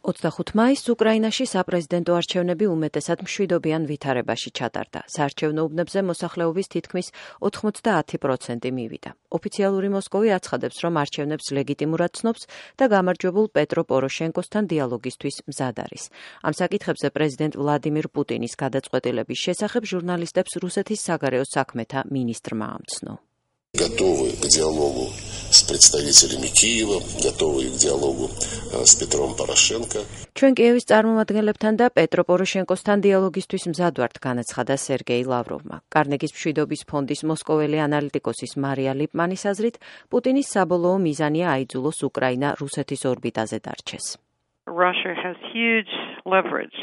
25 მაისს უკრაინაში საპრეზიდენტო არჩევნები უმეტესად მშვიდობიან ვითარებაში ჩატარდა. საარჩევნო უბნებზე მოსახლეობის თითქმის 90% მივიდა. ოფიციალური მოსკოვი აცხადებს, რომ არჩევნებს ლეგიტიმურად ცნობს და გამარჯვებულ პეტრო პოროშენკოსთან დიალოგისთვის მზად არის. ამ საკითხებზე პრეზიდენტ ვლადიმირ პუტინის გადაწყვეტილების შესახებ ჟურნალისტებს რუსეთის საგარეო საქმეთა მინისტრმა ამცნო. Готовы к диалогу с представителями Киева, готовы к диалогу с Петром Порошенко. ჩვენ კიევის წარმომადგენლებთან და პეტრო პოროშენკოსთან დიალოგისთვის მზად ვართ, განაცხადა სერგეი ლავროვმა. კარნეგის მშვიდობის ფონდის მოსკოველი ანალიტიკოსის მარია ლიპმანის აზრით, პუტინის საბოლოო მიზანია აიძულოს უკრაინა რუსეთის ორბიტაზე დარჩეს. Russia has huge leverage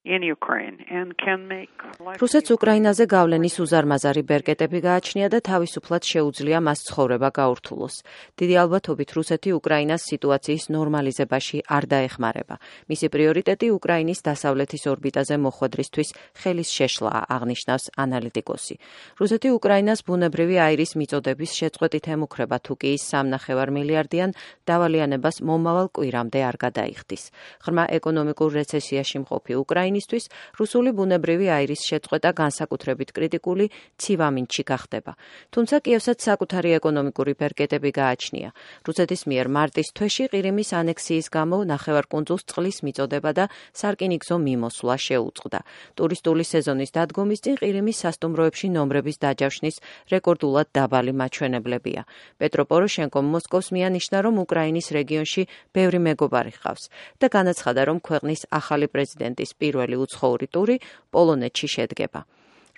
in Ukraine and can make რუსეთს უკრაინაზე გავლენის უზარმაზარი ბერკეტები გააჩნია და თავისუფლად შეუძლია მას ცხოვრება გაურთულოს. დიდი ალბათობით რუსეთი უკრაინას სიტუაციის ნორმალიზებაში არ დაეხმარება. მისი პრიორიტეტი უკრაინის დასავლეთის ორბიტაზე მოხვედრისთვის ხელის შეშლაა, აღნიშნავს ანალიტიკოსი. რუსეთი უკრაინას ბუნებრივი აირის მიწოდების შეწყვეტით ემუქრება, თუ კი ის 3,5 მილიარდიან დავალიანებას მომავალ კვირამდე არ გადაიხდის. ღრმა ეკონომიკურ რეცესიაში მყოფი უკრაინისთვის რუსული ბუნებრივი აირის შეწყვეტა განსაკუთრებით კრიტიკული ცივამინდში გახდება. თუმცა კიევსაც საკუთარი ეკონომიკური ბერკეტები გააჩნია. რუსეთის მიერ მარტის თვეში ყირიმის ანექსიის გამო ნახევარკუნძულს წყლის მიწოდება და სარკინიგზო მიმოსვლა შეუწყდა. ტურისტული სეზონის დადგომის წინ ყირიმის სასტუმროებში ნომრების დაჯავშნის რეკორდულად დაბალი მაჩვენებლებია. პეტრო პოროშენკომ მოსკოვს მიანიშნა, რომ უკრაინის რეგიონში ბევრი მეგობარი ჰყავს და განაცხადა, რომ ქვეყნის ახალი პრეზიდენტის პირველი უცხოური ტური პოლონეთში შედგება.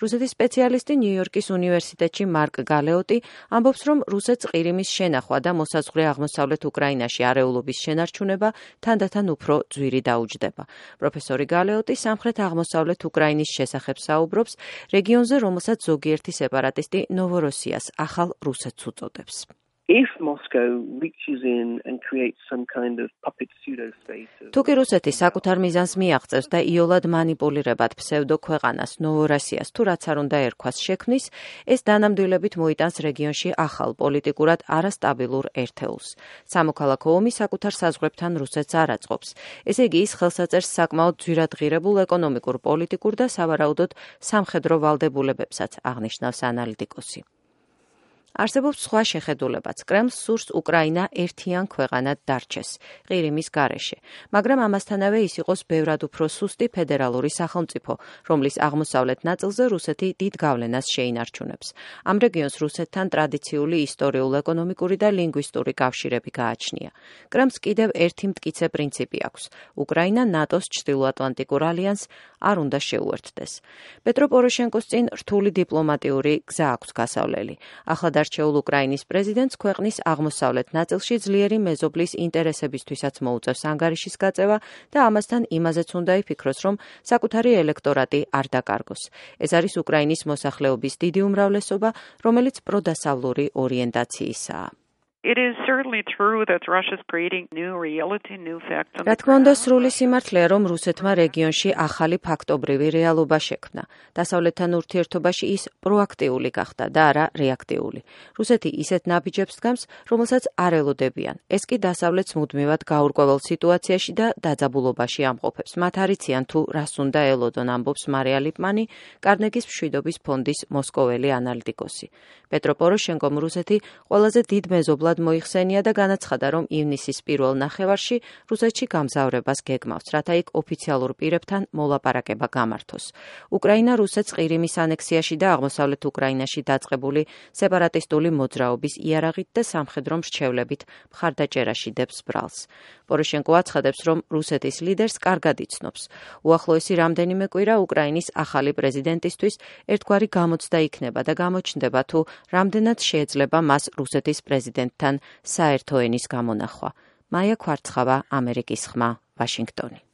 რუსეთის სპეციალისტი ნიუ-იორკის უნივერსიტეტში მარკ გალეოტი ამბობს, რომ რუსეთს ყირიმის შენახვა და მოსაზღვრე აღმოსავლეთ უკრაინაში არეულობის შენარჩუნება თანდათან უფრო ძვირი დაუჯდება. პროფესორი გალეოტი სამხრეთ აღმოსავლეთ უკრაინის შესახებ საუბრობს რეგიონზე, რომელსაც ზოგიერთი სეპარატისტი ნოვოროსიას ახალ რუსეთს უწოდებს. If Moscow reaches in and creates some kind of puppet pseudo-state თუ კი რუსეთი საკუთარ მიზანს მიაღწევს და იოლად მანიპულირებად ფსევდო ქვეყანას ნოვოროსიას თუ რაც არ უნდა ერქვას შექმნის, ეს დანამდვილებით მოიტანს რეგიონში ახალ პოლიტიკურად არასტაბილურ ერთეულს. სამოქალაქო ომი საკუთარ საზღვრებთან რუსეთს არ აწყობს. ესე იგი ის ხელსაწერს საკმაოდ ძვირადღირებულ ეკონომიკურ, პოლიტიკურ და სავარაუდოდ სამხედრო ვალდებულებებსაც, აღნიშნავს ანალიტიკოსი. არსებობს სხვა შეხედულებაც. კრემლს სურს უკრაინა ერთიან ქვეყანად დარჩეს ყირიმის გარეშე, მაგრამ ამასთანავე ის იყოს ბევრად უფრო სუსტი ფედერალური სახელმწიფო, რომლის აღმოსავლეთ ნაწილზე რუსეთი დიდ გავლენას შეინარჩუნებს. ამ რეგიონს რუსეთთან ტრადიციული ისტორიულ-ეკონომიკური და ლინგვისტური კავშირები გააჩნია. კრემლს კიდევ ერთი მტკიცე პრინციპი აქვს. უკრაინა ნატოს ჩრდილოატლანტიკურ ალიანსს არ უნდა შეუერთდეს. პეტრო პოროშენკოს წინ რთული დიპლომატიური გზა აქვს გასავლელი. ახლად არჩეულ უკრაინის პრეზიდენტს ქვეყნის აღმოსავლეთ ნაწილში ძლიერი მეზობლის ინტერესებისთვისაც მოუწევს ანგარიშის გაწევა და ამასთან იმაზეც უნდა იფიქროს, რომ საკუთარი ელექტორატი არ დაკარგოს. ეს არის უკრაინის მოსახლეობის დიდი უმრავლესობა, რომელიც პროდასავლური ორიენტაციისაა. It is certainly true that Russia is creating new reality, new facts. რა თქმა უნდა, სრული სიმართლეა, რომ რუსეთმა რეგიონში ახალი ფაქტობრივი რეალობა შექმნა. დასავლეთთან ურთიერთობაში ის პროაქტიული გახდა და არა რეაქტიული. რუსეთი ისეთ ნაბიჯებს დგამს, რომელსაც არ ელოდებიან. ეს კი დასავლეთს მუდმივად გაურკვეველ სიტუაციაში და დაძაბულობაში ამყოფებს. მათ არ იციან თუ რას უნდა ელოდონ, ამბობს მარია ლიპმანი, კარნეგის მშვიდობის ფონდის მოსკოველი ანალიტიკოსი. პეტრო პოროშენკომ რუსეთი ყველაზე დიდ მეზობლად მოიხსენია და განაცხადა, რომ ივნისის პირველ ნახევარში რუსეთში გამგზავრებას გეგმავს, რათა იქ ოფიციალურ პირებთან მოლაპარაკება გამართოს. უკრაინა რუსეთს ყირიმის ანექსიაში და აღმოსავლეთ უკრაინაში დაწყებული სეპარატისტული მოძრაობის იარაღით და სამხედრო მრჩევლებით მხარდაჭერაში დებს ბრალს. პოროშენკო აცხადებს, რომ რუსეთის ლიდერს კარგად იცნობს. უახლოესი რამდენიმე კვირა უკრაინის ახალი პრეზიდენტისთვის ერთგვარი გამოცდა იქნება და გამოჩნდება, თუ რამდენად შეიძლება მას რუსეთის პრეზიდენტთან საერთო ენის გამონახვა. მაია ქვარცხავა, ამერიკის ხმა, ვაშინგტონი.